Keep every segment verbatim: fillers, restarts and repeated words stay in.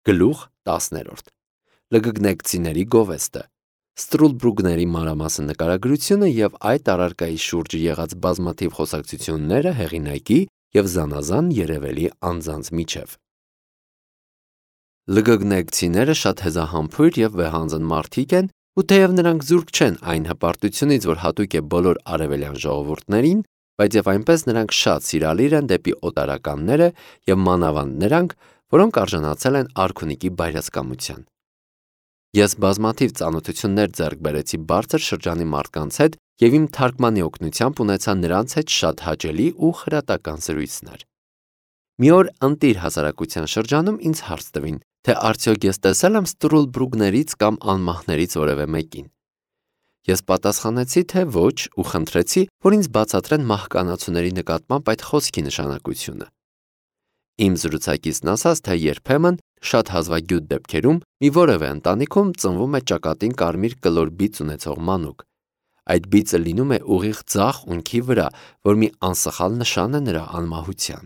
Գլուխ տասներորդ Լգգնեկցիների գովեստը Ստրուլբրուգների մանրամասն նկարագրությունը և այդ առարկայի շուրջ եղած բազմաթիվ խոսակցությունները հեղինակի և զանազան երևելի անձանց միջև։ Լգգնեկցիները շատ հեզահամբույր և վեհանձն մարդիկ են, ու թեև նրանք զուրկ չեն այն հպարտությունից, որ հատուկ է բոլոր արևելյան ժողովուրդներին, բայց և այնպես նրանք շատ սիրալիր են դեպի օտարականները և մանավանդ նրանք, որոնք արժանացել են արքունիքի բայրացկամության։ Ես բազմաթիվ ծանոթություններ ձեռք բերեցի բարձր շրջանի մարդկանց հետ և իմ թարգմանի օգնությամբ ունեցա նրանց հետ շատ հաճելի ու խրատական զրույցներ։ Մի օր ընտիր հասարակության շրջանում ինձ հարց տվին, թե արդյոք ես տեսել եմ ստրուլբրուգներից կամ անմահներից որևէ մեկին։ Ես պատասխանեցի, թե ոչ ու խնդրեցի, որ ինձ բացատրեն մահկանացուների նկատմամբ այդ խոսքի նշանակությունը։ Իմ զրուցակիցն ասաց, թե երբեմն շատ հազվագյուտ դեպքերում մի որևէ ընտանիքում ծնվում է ճակատին կարմիր կլոր բիծ ունեցող մանուկ։ Այդ բիծը լինում է ուղիղ ձախ ունքի վրա, որ մի անսխալ նշան է նրա անմահության։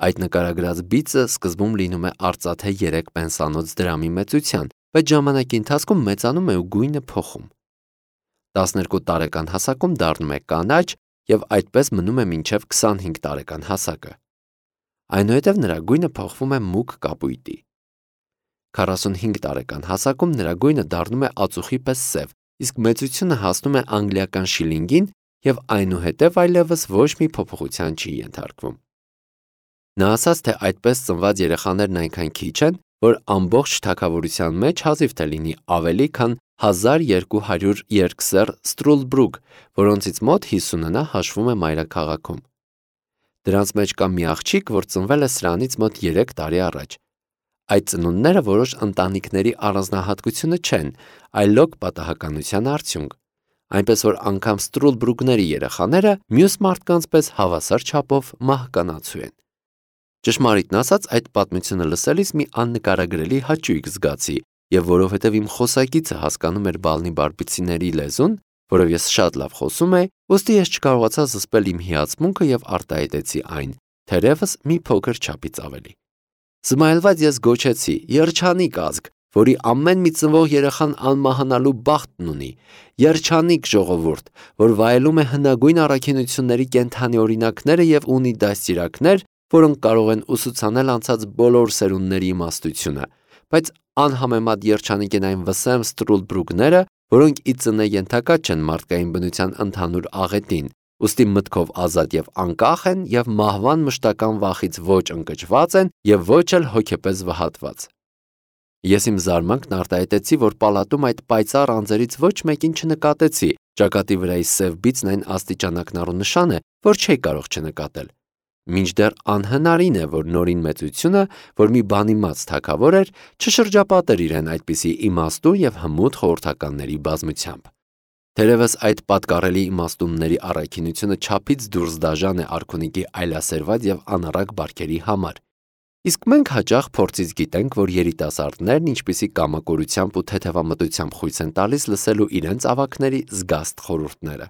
Այդ նկարագրած բիծը սկզբում լինում է արծաթե երեք պենսանոց դրամի մեծության, բայց ժամանակի ընթացքում մեծանում է ու գույնը փոխում։ տասներկու տարեկան հասակում դառնում է կանաչ և այդպես մնում է մինչև քսանհինգ տարեկան հասակը։ Այնուհետև նրա գույնը փոխվում է մուգ կապույտի։ քառասունհինգ տարեկան հասակում նրա գույնը դառնում է ածուխի պես սև, իսկ մեծությունը հասնում է անգլիական շիլինգին և այնուհետև այլևս ոչ մի փոփոխության չի ենթարկվում։ Նա ասաց, թե այդպես ծնված երեխաներն այնքան քիչ են, որ ամբողջ թագավորության մեջ հազիվ թե լինի ավելի քան հազար երկու հարյուր երկսեռ ստրուլբրուգ, որոնցից մոտ հիսունը նա հաշվում է մայրաքաղաքում։ Դրանց մեջ կա մի աղջիկ, որ ծնվել է սրանից մոտ երեք տարի առաջ։ Այդ ծնունդները որոշ ընտանիքների առանձնահատկությունը չեն, այլոք պատահականության արդյունք, այնպես որ անգամ ստրուլբրուգների երեխաները մյուս մարդկանց պես հավասար չափով մահկանացու են։ Ճշմարիտն ասած, այդ պատմությունը լսելիս մի աննկարագրելի հաճույք զգացի, և որովհետև իմ խոսակիցը հասկանում էր բալնի-բարբիցիների լեզուն, որով ես շատ լավ խոսում էի, ուստի ես չկարողացա զսպել իմ հիացմունքը և արտահայտեցի այն, թերևս մի փոքր չափից ավելի։ Զմայլված ես գոչեցի. «Երջանիկ ազգ, որի ամեն մի ծնվող երեխան անմահանալու բախտն ունի, երջանիկ ժողովուրդ, որ վայելում է հնագույն առաքինությունների կենդանի օրինակները և ունի դաստիարակներ, որոնք կարող են ուսուցանել անցած բոլոր սերունդների իմաստությունը, բայց անհամեմատ երջանիկ են այն վսեմ ստրուլբրուգները, որոնք ի ծնե ենթակա չեն մարդկային բնության ընդհանուր աղետին, ուստի մտքով ազատ և անկախ են և մահվան մշտական վախից ոչ ընկճված են և ոչ էլ հոգեպես վհատված»։ Ես իմ զարմանքն արտահայտեցի, որ պալատում այդ պայծառ անձերից ոչ մեկին չնկատեցի, ճակատի վրայի սև բիծն այն աստիճանակնառու նշան է, որ չէի կարող չնկատել։ Մինչդեռ անհնարին է, որ նորին մեծությունը, որ մի բանիմաց թագավոր էր, չշրջապատեր իրեն այդպիսի իմաստուն և հմուտ խորհրդականների բազմությամբ։ Թերևս այդ պատկառելի իմաստունների առաքինությունը չափից դուրս դաժան է արքունիքի այլասերված և անառակ բարքերի համար։ Իսկ մենք հաճախ փորձից գիտենք, որ երիտասարդներն ինչպիսի կամակորությամբ ու թեթևամտությամբ խույս են տալիս լսելու իրենց ավագների զգաստ խորհուրդները։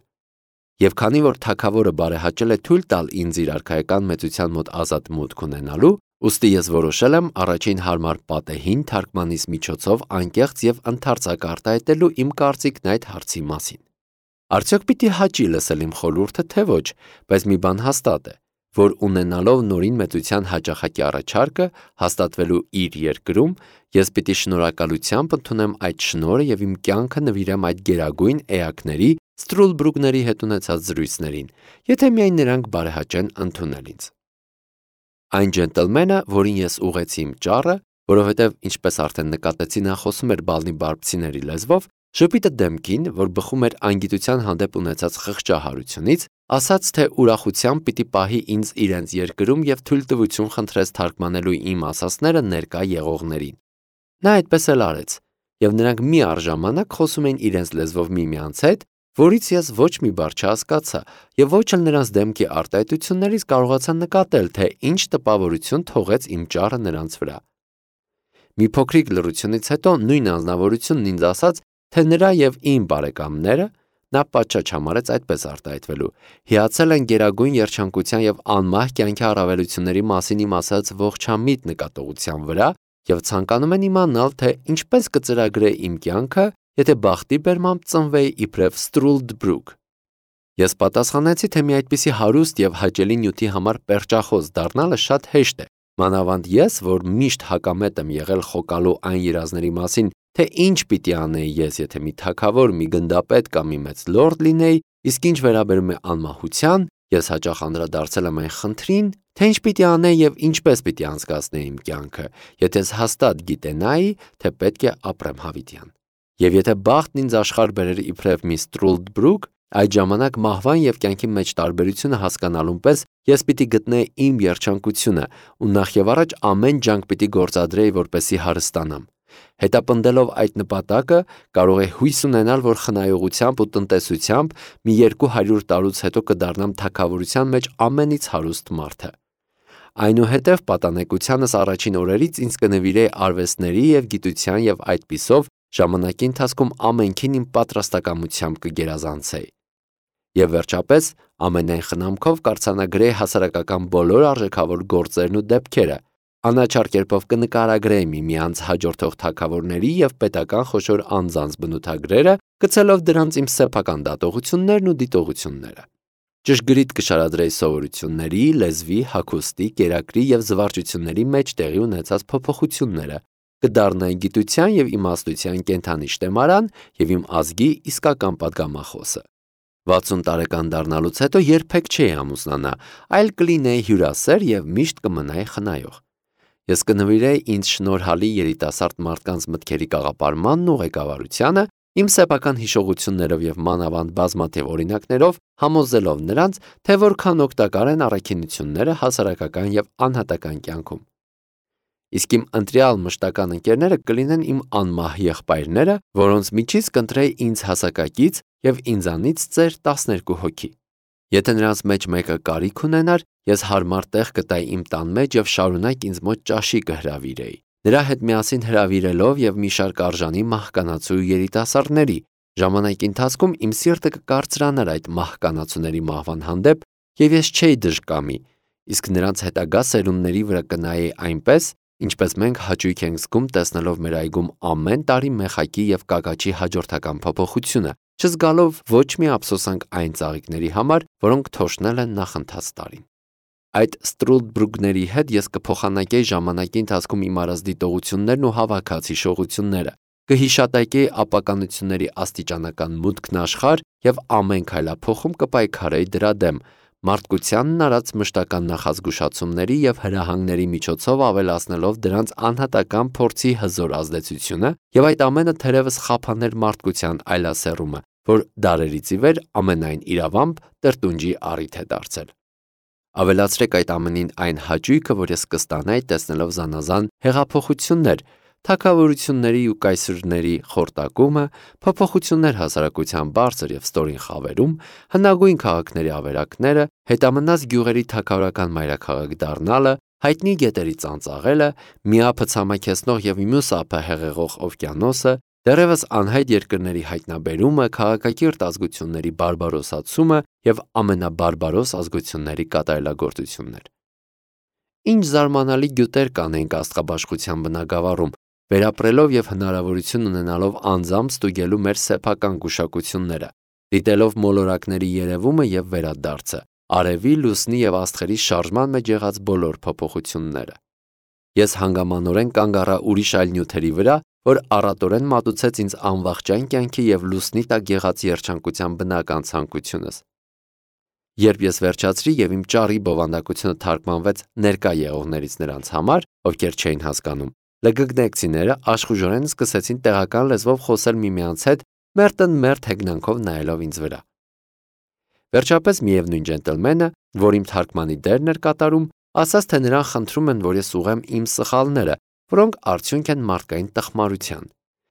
Եվ քանի որ թագավորը բարեհաճել է թույլ տալ ինձ իր արքայական մեծության մոտ ազատ մուտք ունենալու, ուստի ես որոշել եմ առաջին հարմար պատեհին թարգմանիս միջոցով անկեղծ և ընդարձակ արտահայտելու իմ կարծիքն այդ հարցի մասին։ Արդյոք պիտի հաճի լսել իմ խորհուրդը, թե ոչ, բայց մի բան հաստատ է, որ ունենալով նորին մեծության հաճախակի առաջարկը հաստատվելու իր երկրում, ես պիտի շնորհակալությամբ ընդունեմ այդ շնորհը և իմ կյանքը նվիրեմ այդ գերագույն էակների ստրուլբրուգների հետ ունեցած զրույցներին, եթե միայն նրանք բարեհաճեն ընդունել ինձ։ Այն ջենտլմենը, որին ես ուղղեցի իմ ճառը, որովհետև, ինչպես արդեն նկատեցի, նա խոսում էր բալնի-բարբցիների լեզվով, ժպիտը դեմքին, որ բխում էր անգիտության հանդեպ ունեցած խղճահարությունից, ասաց, թե ուրախությամբ պիտի պահի ինձ իրենց երկրում և թույլտվություն խնդրեց թարգմանելու իմ ասածները ներկա եղողներին։ Նա այդպես էլ արեց, և նրանք մի առժամանակ խոսում էին իրենց լեզվով միմյանց հետ, որից ես ոչ մի բառ չհասկացա և ոչ էլ նրանց դեմքի արտահայտություններից կարողացա նկատել, թե ինչ տպավորություն թողեց իմ ճառը նրանց վրա։ Մի փոքրիկ լռությունից հետո նույն անձնավորությունն ինձ ասաց, թե նրա և իմ բարեկամները, նա պատշաճ համարեց այդպես արտահայտվելու, հիացել են գերագույն երջանկության և անմահ կյանքի առավելությունների մասին իմ ասած ողջամիտ նկատողության վրա եւ ցանկանում են իմանալ, թե ինչպես կծրագրե իմ կյանքը, եթե բախտի բերմամբ ծնվեի իբրև Ստրուլդբրուգ։ Ես պատասխանեցի, թե մի այդպիսի հարուստ եւ հաճելի նյութի համար պերճախոս դառնալը շատ հեշտ է, մանավանդ ես, որ միշտ հակամետ եմ եղել խոկալու այն երազների մասին, թե ինչ պիտի անեի ես, եթե մի թագավոր, մի գնդապետ կամ մի մեծ լորդ լինեի, իսկ ինչ վերաբերում է անմահության, ես հաճախ անդրադարձել եմ այն խնդրին, թե ինչ պիտի անեի եւ ինչպես պիտի անցկացնեի իմ կյանքը, եթե ես հաստատ գիտենայի, թե պետք է ապրեմ հավիտյան։ Եվ եթե բախտն ինձ աշխարհ բերեր իբրև մի Ստրուլդբրուգ, այդ ժամանակ մահվան եւ կյանքի մեջ տարբերությունը հասկանալուն պես ես պիտի գտնեի իմ երջանկությունը ու նախ եւ առաջ ամեն ջանք պիտի գործադրեի, որպեսզի հարստանամ։ Հետապնդելով այդ նպատակը, կարող է հույս ունենալ, որ խնայողությամբ ու տնտեսությամբ մի երկու հարյուր տարուց հետո կդառնամ թագավորության մեջ ամենից հարուստ մարդը։ Այնուհետև պատանեկությանս առաջին օրերից ինձ կնվիրեի արվեստների եւ գիտության եւ այդպիսով ժամանակի ընթացքում ամենքին իմ պատրաստակամությամբ կգերազանցեի։ Եվ վերջապես ամենայն խնամքով կարձանագրեի հասարակական բոլոր արժեքավոր գործերն ու դեպքերը, անաչառ կերպով կնկարագրեի միմյանց հաջորդող թագավորների եւ պետական խոշոր անձանց բնութագրերը, գցելով դրանց իմ սեփական դատողություններն ու դիտողությունները։ Ճշգրիտ կշարադրեի սովորությունների, լեզվի, հագուստի, կերակրի եւ զվարճությունների մեջ տեղի ունեցած փոփոխությունները, կդառնայի գիտության եւ իմաստության կենթանի շտեմարան եւ իմ ազգի իսկական падգամախոսը։ վաթսուն տարեկան դառնալուց հետո երբեք չէի ամուսնանա, այլ կլինեի հյուրասեր եւ միշտ կմնայի խնայող։ Ես կնվիրեի ինձ շնորհալի երիտասարդ մարդկանց մտքերի կաղապարմանն ու ղեկավարությանը, իմ սեփական հիշողություններով եւ մանավանդ բազմաթիվ օրինակներով, համոզելով նրանց, թե որքան օգտակար են առաքինությունները հասարակական եւ անհատական կյանքում։ Իսկ իմ ընտրյալ մշտական ընկերները կլինեն իմ անմահ եղբայրները, որոնց միջից կընտրեի ինձ հասակակից եւ ինձանից ծեր տասներկու հոգի։ Եթե նրանց մեջ մեկը կարիք ունենար, ես հարմար տեղ կտայի իմ տան մեջ եւ շարունակ ինձ մոտ ճաշի կհրավիրեի, նրա հետ միասին հրավիրելով եւ մի շարք արժանի մահկանացու երիտասարդների։ Ժամանակի ընթացքում իմ սիրտը կկարծրանար այդ մահկանացուների մահվան հանդեպ եւ ես չէի դժկամի, իսկ նրանց հետագա սերունդների վրա կնայեի այնպես, ինչպես մենք հաճույք ենք զգում տեսնելով մեր այգում ամեն տարի մեխակի եւ կակաչի հաջորդական փոփոխությունը, չզգալով ոչ մի ափսոսանք այն ծաղիկների համար, որոնք թոշնել են նախընթաց տարին։ Այդ Ստրուլդբրուգների հետ ես կփոխանակեի ժամանակի ընթացքում իմ արած դիտողություններն ու հավաքած հիշողությունները, կհիշատակեի ապականությունների աստիճանական մուտքն աշխարհ եւ ամեն քայլափոխում կպայքարեի դրա դեմ, մարդկությանն արած մշտական նախազգուշացումների եւ հրահանգների միջոցով ավելացնելով դրանց անհատական փորձի հզոր ազդեցությունը եւ այդ ամենը թերևս խափաներ մարդկության այլասերումը, որ դարերից ի վեր ամենայն իրավամբ տրտունջի առիթ է դարձել։ Ավելացրեք այդ ամենին այն հաճույքը, որ ես կստանայի տեսնելով զանազան հեղափոխություններ, թագավորությունների ու կայսրների խորտակումը, փոփոխություններ հասարակության բարձր եւ ստորին խավերում, հնագույն քաղաքների ավերակները, հետամնաց գյուղերի թագավորական մայրաքաղաք դառնալը, հայտնի գետերի ծանծաղելը, մի ափը ցամաքեցնող եւ մյուս ափը հեղեղող օվկիանոսը, դեռևս անհայտ երկրների հայտնաբերումը, քաղաքակիրթ ազգությունների բարբարոսացումը եւ ամենաբարբարոս ազգությունների կատարելագործություններ։ Ինչ զարմանալի գյուտեր կանենք աստղաբաշխության բնագավառում, վերապրելով եւ հնարավորություն ունենալով անձամբ ստուգելու մեր սեփական գուշակությունները, դիտելով մոլորակների երևումը եւ վերադարձը, արևի, լուսնի եւ աստղերի շարժման մեջ եղած բոլոր փոփոխությունները։ Ես հանգամանորեն կանգ առա ուրիշ այլ նյութերի վրա, որ առատորեն մատուցեց ինձ անվախճան կյանքի եւ լուսնի տակ եղած երջանկության բնական ցանկությունս։ Երբ ես վերջացրի եւ իմ ճառի բովանդակությունը թարգմանվեց ներկա եղողներից նրանց համար, ովքեր չէին հասկանում, լգգնեկցիները աշխուժորեն սկսեցին տեղական լեզվով խոսել միմյանց հետ, մերտն մերտ հեգնանքով նայելով ինձ վրա։ Վերջապես միևնույն ջենտլմենը, որ իմ թարգմանի դերն էր կատարում, ասաց, թե նրան խնդրում են, որ ես ուղղեմ իմ սխալները, որոնք արդյունք են մարդկային տխմարության,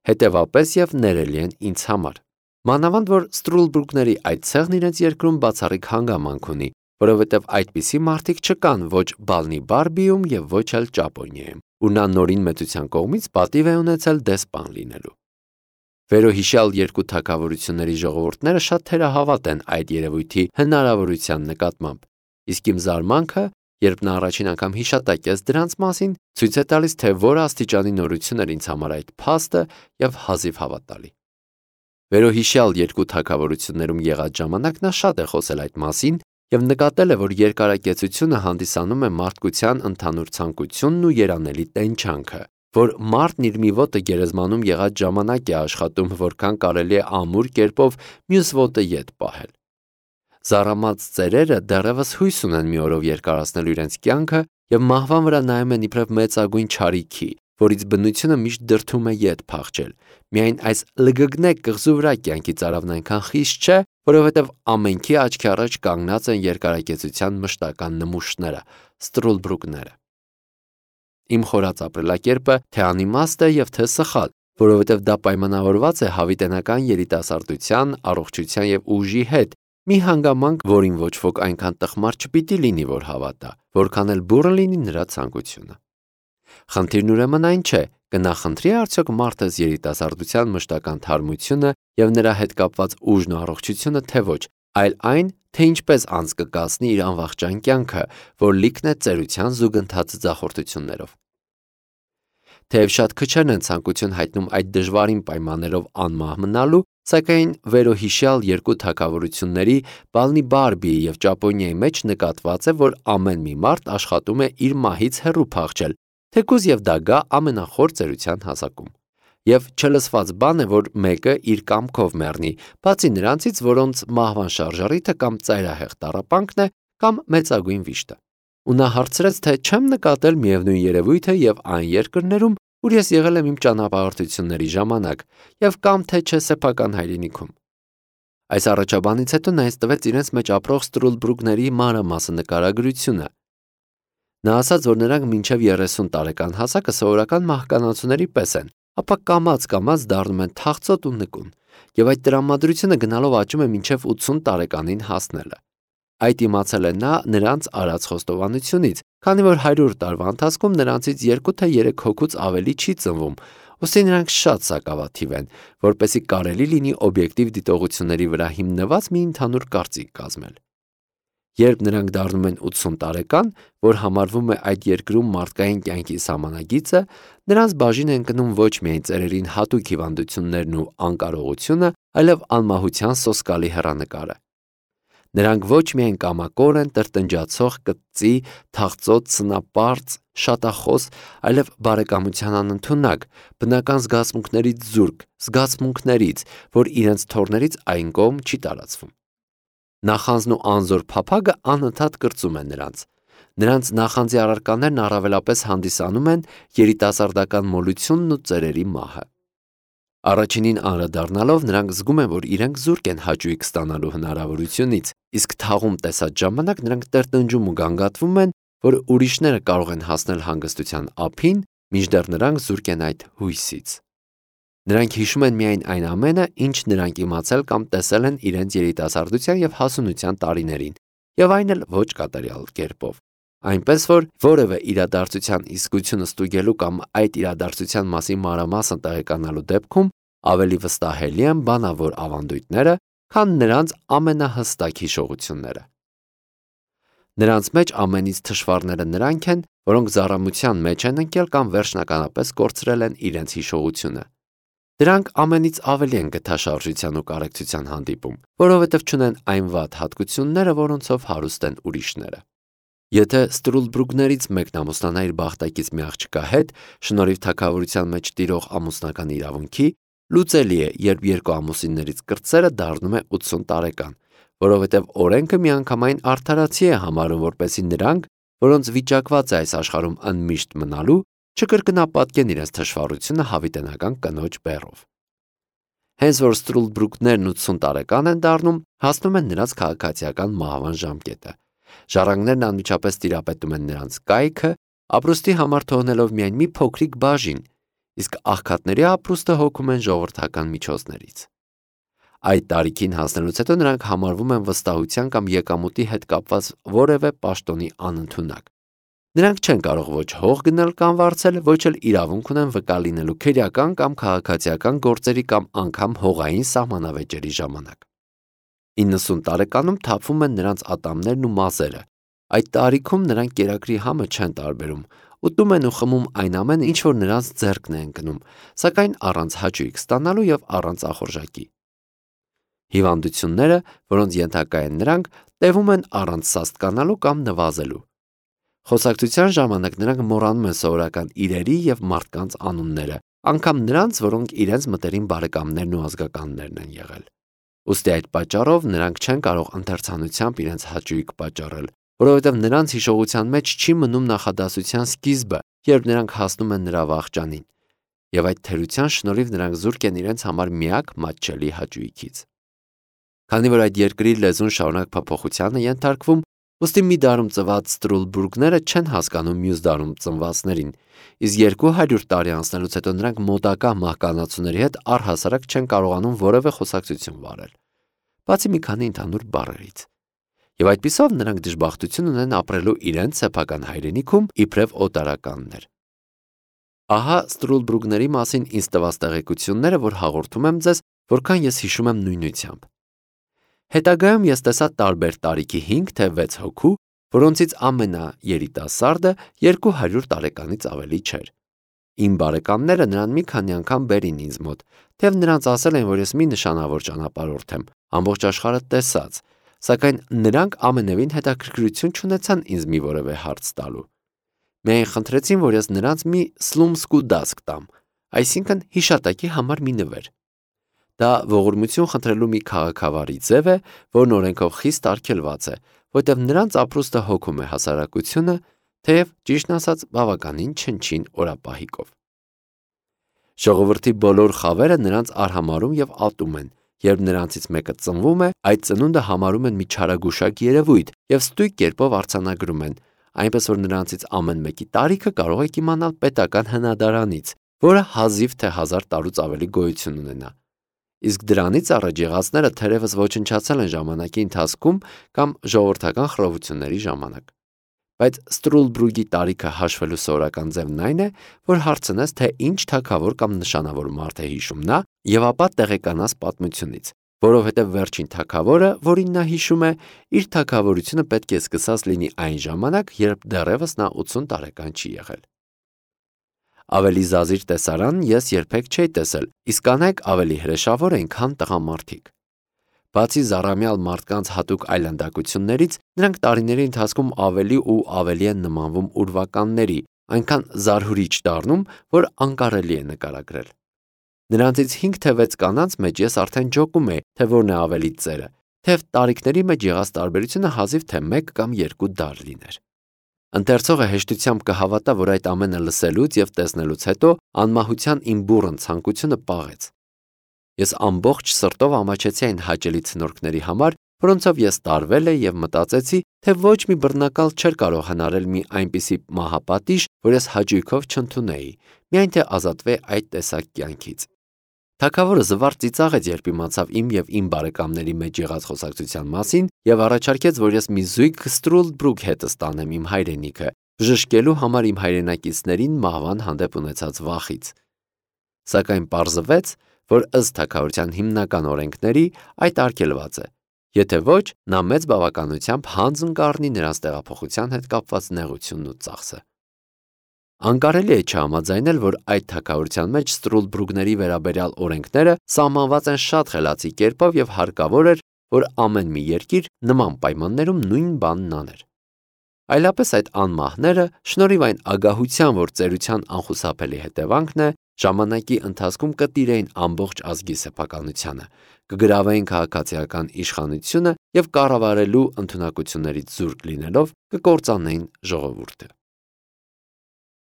հետևապես եւ ներելի են ինձ համար։ Մանավանդ որ Ստրուլդբրուգների այդ ցեղն իրենց երկրում բացառիկ հանգամանք ունի, որովհետև այդպիսի մարդիկ չկան ոչ Բալնի Բարբիում եւ ոչ էլ Ճապոնիայում, ու նա նորին մեծության կողմից պատիվ է ունեցել դեսպան լինելու։ Վերոհիշյալ երկու թագավորությունների ժողովուրդները շատ թերահավատ են այդ երևույթի հնարավորության նկատմամբ, իսկ իմ զարմանքը Երբ նա առաջին անգամ հիշատակեց դրանց մասին, ցույց է տալիս, թե որ աստիճանի նորություն էր ինձ համար այդ փաստը եւ հազիվ հավատալի։ Վերոհիշյալ երկու թագավորություններում եղած ժամանակ նա շատ է խոսել այդ մասին եւ նկատել է, որ երկարակեցությունը հանդիսանում է մարդկության ընդհանուր ցանկությունն ու երանելի տենչանքը, որ մարդն իր մի ոտը գերեզմանում եղած ժամանակ է աշխատում, որքան կարելի է ամուր կերպով մյուս ոտը ետ պահել։ Զառամած ծերերը դեռևս հույս ունեն մի օրով երկարացնել իրենց կյանքը եւ մահվան վրա նայում են իբրև մեծագույն չարիքի, որից բնությունը միշտ դրդում է ետ փախչել։ Միայն այս լգգնեք կղզու վրա կյանքի ծարավն այնքան խիստ չէ, որովհետև ամենքի աչքի առաջ կանգնած են երկարակեցության մշտական նմուշները, ստրուլբրուկները։ Իմ խորած ապրելակերպը թե անիմաստ է եւ թե սխալ, որովհետև դա պայմանավորված է հավիտենական երիտասարդության, առողջության եւ ուժի հետ, մի հանգամանք, որին ոչ ոք այնքան տխմար չպիտի լինի, որ հավատա, որքան էլ բուռն լինի նրա ցանկությունը։ Խնդիրն ուրեմն այն չէ, կնախընտրի արդյոք մարդս երիտասարդության մշտական թարմությունը եւ նրա հետ կապված ուժն ու առողջությունը, թե ոչ, այլ այն, թե ինչպես անց կկացնի իր անվախճան կյանքը, որ լիքն է ծերության զուգընթաց ձախորդություններով։ Թեև շատ քչերն են ցանկություն հայտնում այդ դժվարին պայմաններով անմահ մնալու, սակայն վերոհիշյալ երկու թագավորությունների Բալնի Բարբիի եւ Ճապոնիայի մեջ նկատված է, որ ամեն մի մարդ աշխատում է իր մահից հեռու փախչել, թեկուզ եւ դա գա ամենախոր ծերության հասակում։ Եվ չլսված բան է, որ մեկը իր կամքով մեռնի, բացի նրանցից, որոնց մահվան շարժառիթը կամ ծայրահեղ տառապանքն է, կամ մեծագույն վիշտը։ Ու նա հարցրեց, թե չեմ նկատել միևնույն երևույթը եւ այն երկրներում, ուր ես եղել եմ իմ ճանապարհորդությունների ժամանակ, եւ կամ թե չէ սեփական հայրենիքում։ Այս առաջաբանից հետո նա ինձ տվեց իրենց մեջ ապրող ստրուլբրուկների մանրամասն նկարագրությունը։ Նա ասաց, որ նրանք մինչև երեսուն տարեկան հասակը սովորական մահկանացուների պես են, ապա կամաց-կամաց դառնում են թախծոտ ու նկուն, եւ այդ տրամադրությունը գնալով աճում է մինչև ութսուն տարեկանին հասնելը։ Այդ իմացել է նա նրանց արած խոստովանությունից, քանի որ հարյուր տարվա ընթացքում նրանցից երկու թե երեք հոգուց ավելի չի ծնվում, ուստի նրանք շատ սակավաթիվ են, որպեսզի կարելի լինի օբյեկտիվ դիտողությունների վրա հիմնված մի ընդհանուր կարծիք կազմել։ Երբ նրանք դառնում են ութսուն տարեկան, որ համարվում է այդ երկրում մարդկային կյանքի սահմանագիծը, նրանց բաժին են կնում ոչ միայն ծերերին հատուկ հիվանդություններն ու անկարողությունը, այլև անմահության սոսկալի հեռանկարը։ Նրանք ոչ միայն կամակոր են, տրտնջացող, կծի, թախծոտ, սնապարծ, շատախոս, այլև բարեկամության անընդունակ, բնական զգացմունքներից զուրկ, զգացմունքներից, որ իրենց թորներից այն կողմ չի տարածվում։ Նախանձն ու անզոր փափագը անընդհատ կրծում են նրանց։ Նրանց նախանձի առարկաներն առավելապես հանդիսանում են երիտասարդական մոլությունն ու ծերերի մահը։ Առաջինին անդրադառնալով նրանք զգում են, որ իրենք զուրկ են հաճույք ստանալու հնարավորությունից, իսկ թաղում տեսած ժամանակ նրանք տրտնջում ու գանգատվում են, որ ուրիշները կարող են հասնել հանգստության ափին, մինչդեռ նրանք զուրկ են այդ հույսից։ Նրանք հիշում են միայն այն ամենը, ինչ նրանք իմացել կամ տեսել են իրենց երիտասարդության եւ հասունության տարիներին, եւ այն էլ ոչ կատարյալ կերպով։ Այնպես որ որևէ իրադարձության իսկությունը ստուգելու կամ այդ իրադարձության մասին մանրամասն տեղեկանալու դեպքում ավելի վստահելի են բանավոր ավանդույթները, քան նրանց ամենահստակ հիշողությունները։ Նրանց մեջ ամենից թշվառները նրանք են, որոնք զառամության մեջ են ընկել կամ վերջնականապես կորցրել են իրենց հիշողությունը։ Դրանք ամենից ավելի են գթաշարժության ու կարեկցության հանդիպում, որովհետև չունեն այն վատ հատկությունները, որոնցով հարուստ են ուրիշները։ Եթե ստրուլբրուկներից մեկն ամուսնանա իր բախտակից մի աղջկա հետ, շնորհիվ թագավորության մեջ տիրող ամուսնական իրավունքի, լուծելի է, երբ երկու ամուսիններից կրտսերը դառնում է ութսուն տարեկան, որովհետև օրենքը միանգամայն արդարացի է համարում, որպեսզի նրանք, որոնց վիճակված է այս աշխարհում ընդմիշտ մնալու, չկրկնապատկեն իրենց թշվառությունը հավիտենական կնոջ բեռով։ Հենց որ ստրուլբրուկներն ութսուն տարեկան են դառնում, հասնում են նրանց քաղաքացիական մահվան ժամկետը։ Ժառանգներն անմիջապես տիրապետում են նրանց կայքը, ապրուստի համար թողնելով միայն մի փոքրիկ բաժին, իսկ աղքատների ապրուստը հոգում են ժողովրդական միջոցներից։ Այդ տարիքին հասնելուց հետո նրանք համարվում են վստահության կամ եկամուտի հետ կապված որևէ պաշտոնի անընդունակ։ Նրանք չեն կարող ոչ հող գնել կամ վարձել, ոչ էլ իրավունք ունեն վկա լինելու քերական կամ քաղաքացիական գործերի կամ անգամ հողային սահմանավեճերի ժամանակ։ իննսուն տարեկանում թափվում են նրանց ատամներն ու մազերը, Այդ տարիքում նրանք կերակրի համը չեն տարբերում, ուտում են ու խմում այն ամենը, ինչ որ նրանց ձեռքն է ընկնում, սակայն առանց հաճույք ստանալու եւ առանց ախորժակի։ Հիվանդությունները, որոնց ենթակա են նրանք, տևում են առանց սաստկանալու կամ նվազելու։ Խոսակցության ժամանակ նրանք մոռանում են սովորական իրերի եւ մարդկանց անունները, անգամ նրանց, որոնք իրենց մտերիմ բարեկամներն ու ազգականներն են եղել։ Ուստի այդ պատճառով նրանք չեն կարող ընթերցանությամբ իրենց հաճույք պատճառել, որովհետև նրանց հիշողության մեջ չի մնում նախադասության սկիզբը, երբ նրանք հասնում են նրա վախճանին, եւ այդ թերության շնորհիվ նրանք զուրկ են իրենց համար միակ մատչելի հաճույքից։ Քանի որ այդ երկրի լեզուն շարունակ փոփոխության է ենթարկվում, ուստի մի դարում ծնված ստրուլբուրգները չեն հասկանում մյուս դարում ծնվածներին, իսկ երկու հարյուր տարի անցնելուց հետո նրանք մոտակա մահկանացուների հետ առհասարակ չեն կարողանում որևէ խոսակցություն վարել, բացի մի քանի ընդհանուր բառերից։ Եվ այդպիսով նրանք դժբախտություն ունեն ապրելու իրենց սեփական հայրենիքում իբրև օտարականներ։ Ահա ստրուլբուրգների մասին ինձ տված տեղեկությունները, որ հաղորդում եմ ձեզ, որքան ես հիշում եմ նույնությամբ։ Հետագայում ես տեսա տարբեր տարիքի հինգ թե վեց հոգու, որոնցից ամենաերիտասարդը երկու հարյուր տարեկանից ավելի չէր։ Իմ բարեկամները նրան մի քանի անգամ բերին ինձ մոտ, թեև նրանց ասել են, որ ես մի նշանավոր ճանապարհորդ եմ, ամբողջ աշխարհը տեսած, սակայն նրանք ամենևին հետաքրքրություն չունեցան ինձ մի որևէ հարց տալու։ Միայն խնդրեցին, որ ես նրանց մի սլումսկու դասկ տամ, այսինքն հիշատակի համար մի նվեր։ Դա ողորմություն խնդրելու մի քաղաքավարի ձև է, որն օրենքով խիստ արգելված է, որտեղ նրանց ապրուստը հոգում է հասարակությունը, թեև ճիշտն ասած բավականին չնչին օրապահիկով։ Ժողովրդի բոլոր խավերը նրանց արհամարում եւ ատում են, երբ նրանցից մեկը ծնվում է, այդ ծնունդը համարում են մի չարագուշակ երևույթ եւ ստույգ կերպով արձանագրում են, այնպես որ նրանցից ամեն մեկի տարիքը կարող եք իմանալ պետական հնադարանից, որը հազիվ թե հազար տարուց ավելի գոյություն ունենա։ Իսկ դրանից առաջ եղածները թերևս ոչնչացել են ժամանակի ընթացքում կամ ժողովրդական խռովությունների ժամանակ։ Բայց Ստրուլբրուգի տարիքը հաշվելու սովորական ձևն այն է, որ հարցնես, թե ինչ թագավոր կամ նշանավոր մարդ է հիշում նա, եւ ապա տեղեկանաս պատմությունից, որովհետեւ վերջին թագավորը, որին նա հիշում է, իր թագավորությունը պետք է սկսած լինի այն ժամանակ, երբ դեռևս նա ութսուն տարեկան չի եղել։ Ավելի զազիր տեսարան ես երբեք չէի տեսել, իսկ կանայք ավելի հրեշավոր են, քան տղամարդիկ։ Բացի զառամյալ մարդկանց հատուկ այլանդակություններից, նրանք տարիների ընթացքում ավելի ու ավելի են նմանվում ուրվականների, այնքան զարհուրիչ դառնում, որ անկարելի է նկարագրել։ Նրանցից հինգ թե վեց կանանց մեջ ես արդեն ջոկում էի, թե որն է ավելի ծերը, թեև տարիքների մեջ եղած տարբերությունը հազիվ թե մեկ կամ երկու դար լիներ։ Ընթերցողը հեշտությամբ կհավատա, որ այդ ամենը լսելուց եւ տեսնելուց հետո անմահության իմ բուռն ցանկությունը պաղեց։ Ես ամբողջ սրտով ամաչեցի այն հաճելի ցնորքների համար, որոնցով ես տարվել էի եւ մտածեցի, թե ոչ մի բռնակալ չէր կարող հնարել մի այնպիսի մահապատիժ, որ ես հաճույքով չընդունեի, միայն թե ազատվե այդ տեսակ կյանքից։ Թագավորը զվարճ ծիծաղեց, երբ իմացավ իմ եւ իմ բարեկամների մեջ եղած խոսակցության մասին եւ առաջարկեց, որ ես մի զույգ Ստրուլբրուգ հետը ստանեմ իմ հայրենիքը, բժշկելու համար իմ հայրենակիցներին մահվան հանդեպ ունեցած վախից։ Սակայն պարզվեց, որ ըստ թագավորության հիմնական օրենքների այդ արգելված է, եթե ոչ, նա մեծ բավականությամբ հանձն կառնի նրանց տեղափոխության հետ կապված նեղությունն ու ծախսը։ Անկարելի է չհամաձայնել, որ այդ թագավորության մեջ Ստրուլբրուգների վերաբերյալ օրենքները սահմանված են շատ խելացի կերպով եւ հարկավոր էր, որ ամեն մի երկիր նման պայմաններում նույն բանն աներ։ Այլապես այդ անմահները, շնորհիվ այն ագահության, որ ծերության անխուսափելի հետևանքն է, ժամանակի ընթացքում կտիրեին ամբողջ ազգի սեփականությանը, կգրավեին քաղաքացիական իշխանությունը եւ կառավարելու ընդունակություններից զուրկ լինելով կկործանեին ժողովուրդը։